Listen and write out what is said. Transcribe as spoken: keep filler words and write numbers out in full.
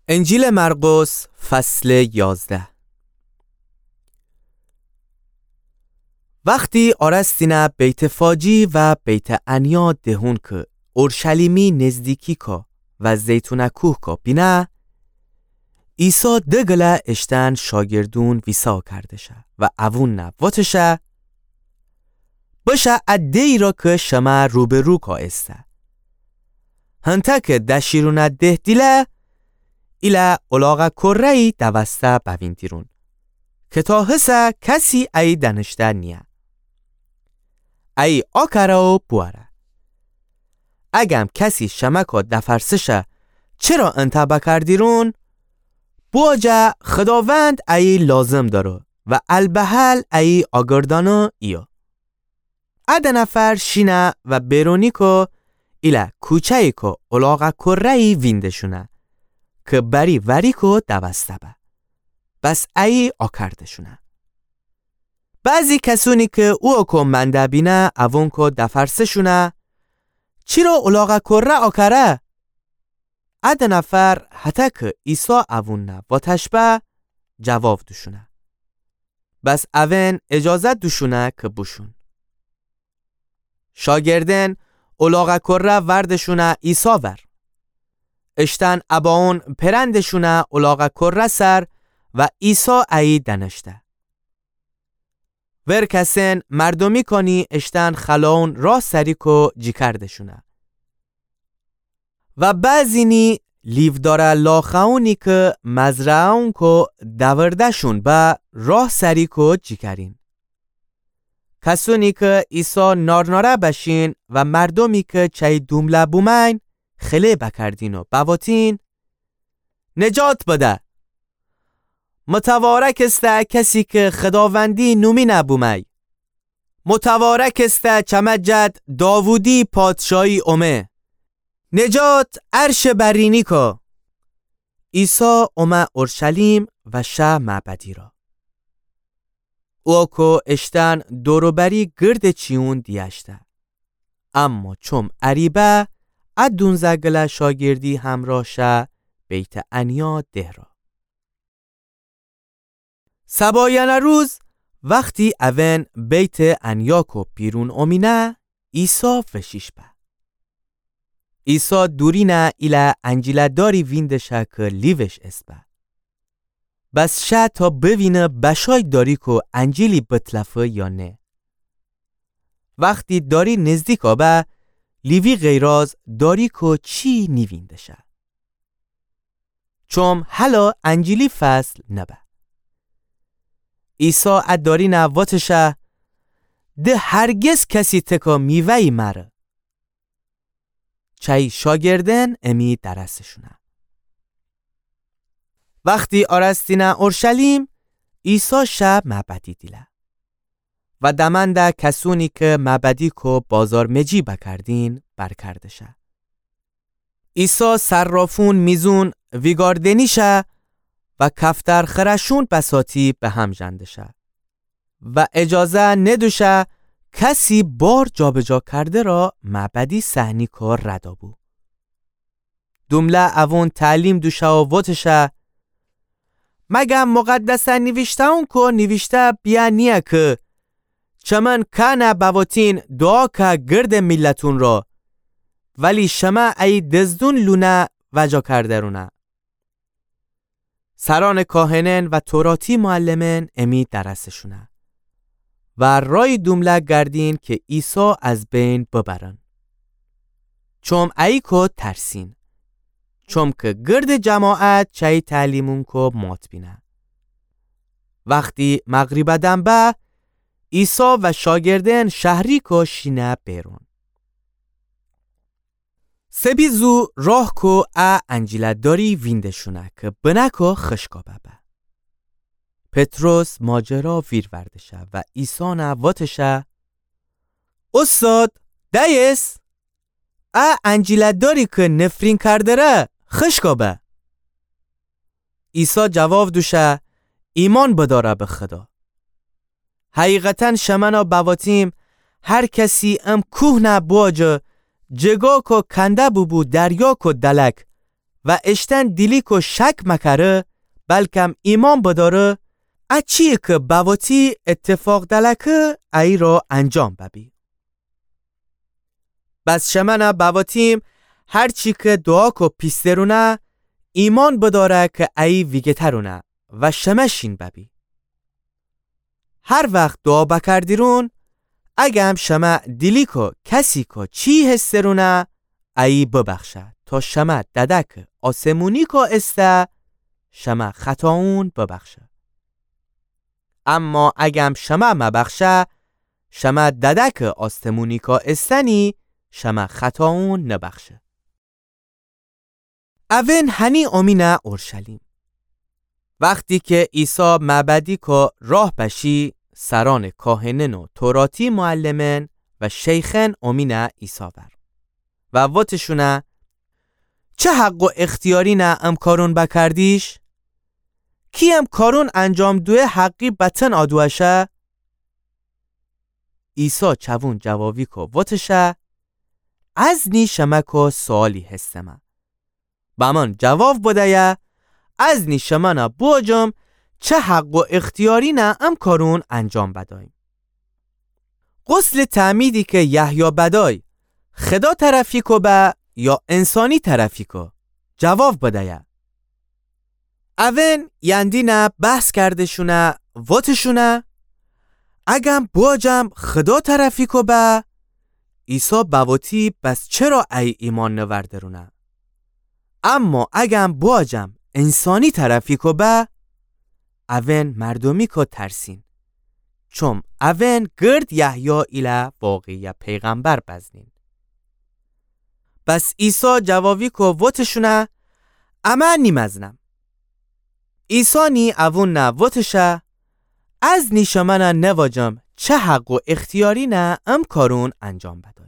انجیلٚ مرقس، فصلٚ یازده. وختی آرستینه بیت‌فاجی و بیت‌عنیا دهون کی اورشلیمی نزدیکی کو و زیتونٚ کوه کو بینه، عیسی دگله اشتأن شاگردون ویسا کرده‌شه و اوونه وتشه: بشه ا دهی را کی شمه روبه‌رو کو ایسه. هنتا کی دشیرونه ده دیله، ایله الاغه کره‌یی دوسته بویندیرون، کی تا هسه کسی ایی دأنشته نییه. ایی آکره و بوأره. اگم کسی شمه کو دفرسشه چره انتأ بکردیرون، بوجه خداوند ایی لازم دأره و البهل ایی آگردأنه ایه. ا ده نفر شینه و بیرونی کو ایله کوچه‌یی کو الاغه کره‌یی وینده‌شونه، کی بری وری کو دوسته به. بس ایی آکرده‌شونه. بعضی کسونی کی اوکو منده بینه اوون کو دفرسه‌شونه: چره الاغه کره آکره؟ ا ده نفر هتأ کی عیسی اوونه وتش به جواب دوشونه. بس اوئن اجازه دوشونه کی بوشون. شاگردأن الاغه کره ورده‌شونه عیسی ور. اشتأن اباون پئرنده‌شونه الاغه کره سر و عیسی ایی دأنشته. ورکسن مردومی کانی اشتأن خلاون راه سری کو جیکرده‌شونه. و بعضینی لیوداره لاخوأنی کی مزرعه‌ون کو دورده‌شون به راه سری کو جیکرین. کسونی کی عیسی نارناره بشین و مردومی کی چأی دومله بومأین خله بکردین و بوتین: نجات بده! متوارک ایسه کسی کی خداوندی نومینه بومأی! متوارک ایسه چمه جد داوودی پادشاهی اومه! نجات عرشٚ برینی کو! عیسی اومه اورشلیم و شه معبدی را. اوکو اشتأن دور و بری گردٚ چیون دیأشته. اما چوم اریبه ا دونزه گله شاگردی همراه شه بیت‌عنیا ده را. سبایأنٚ روز وختی اوئن بیت‌عنیا کو بیرون اومینه، عیسی وشیش به. عیسی دورینه ایله انجیلٚ داری وینده‌شه کی لیوش اسبه. بس شه تا بوینه بشای داری کو انجیلی بتلفه یا نه. وختی داری نزدیکا به، لیوی غیراز داری کو چی نیوینده‌شه. چوم هلا انجیلی فصل نبه. عیسی ا دارینه وتشه: ده هرگز کسی تکا میوه‌یی مأره. چأی شاگردأن امی درسشونه. وختی آرستینه اورشلیم، عیسی شه معبدی دیله. و دمأنده کسونی کی معبدی کو بازارمجی بکردین برکرده‌شه. عیسی صرافون میزون ویگاردنی شه و کفترخوره‌شون بساطی بهم ژنده‌شه و اجازه ندوشه کسی بار جابجا کرده را معبدی صحنی کو رد بو. دومله اوون تعلیم دوشه و وتشه: مگم مقدسٚ نیویشته‌ون کو نیویشته بیه نییه کی چمن کأنه بوتین دعا که گردٚ میلتون را، ولی شمه ایی دزدون لونه وجا کرده رونه؟ سرأنٚ کاهنأن و توراتی معلمأن امی درسشونه و رای دومله گردین کی عیسی از بین ببرن. چوم ایی کو ترسین. چوم کی گردٚ جماعت چأی تعلیمون کو مات بینه. وختی مغریبٚ دم به، عیسی و شاگردأن شهری کو شینه بیرون. سبی زو راه کو ا انجیلٚ داری وینده‌شونه کی بنه کو خشکا ببه. پطرس ماجرا ویرورده‌شه و عیسی نه وتشه: اوستاد، دأیس! ا انجیلٚ داری کی نفرین کردره خشکا به. عیسی جواب دوشه: ایمأن بدأره به خدا. حقیقتاً شمنه بوتیم، هر کسی ام کوه نه بوجه، جگا کو کنده بوبو دریا کو دلک، و اشتن دیلیکو شک مکره، بلکم ایمأن بدأره، ا چییی کی بوأتی ایتفاق دلکه ایرا انجام ببی. بس شمأنه بوأتیم، هر چی کی دوعاکو پیسترونه، ایمأن بدأره کی ایی ویگه‌ترونه و شمه شین ببی. هر وخت دوعا بکردیرون، اگم شمه دیلیکو کسیکو چی هسترونه، ایی ببخشه، تا شمه ددک آسمونیکو ایسه، شمه خطاوون ببخشه. اما اگم شمه مبخشه، شمه ددک آسمونیکو ایسه نی، شمه خطاوون نبخشه. اوئن هنی اومینه اورشلیم. وختی کی عیسی معبدیکو راه بشی، سرأنٚ کاهنأن و توراتی معلمأن و شیخأن اومینه عیسی ور و وتشونه: چه حق و اختیارینه ام کارون بکردیش؟ کی ام کارون انجام دویه حقی بتن آدوأشه؟ عیسی چوون جوابیکو وتشه: از نی شمه‌کو سؤالی هستمه. بمأن جواب بدیه، از نی شمأنه بوجم چه حق و اختیارینه ام کارون انجام بدأیم. غسلٚ تعمیدی کی یحیی بدأی، خدا طرفیکو به یا انسانی طرفیکو؟ جواب بدیه. اوئن یندینه بحث کردشونه، وتشونه: اگم بوجم خدا طرفیکو به، عیسی بوأتی بس چرا ای ایمأن نوردرونه؟ اما اگم بوجم انسانی طرفیکو به، اوئن مردومیکو ترسین، چوم اوئن گرد یحیی ایله واقعیه پیغمبر بزنین. بس عیسی جوابیکو وتشونه: امه نیمزنم. عیسی نی اوونٚ وتشه: از نی شمأنه نوجم چه حق و اختیارینه ام کارون انجام بدأیم.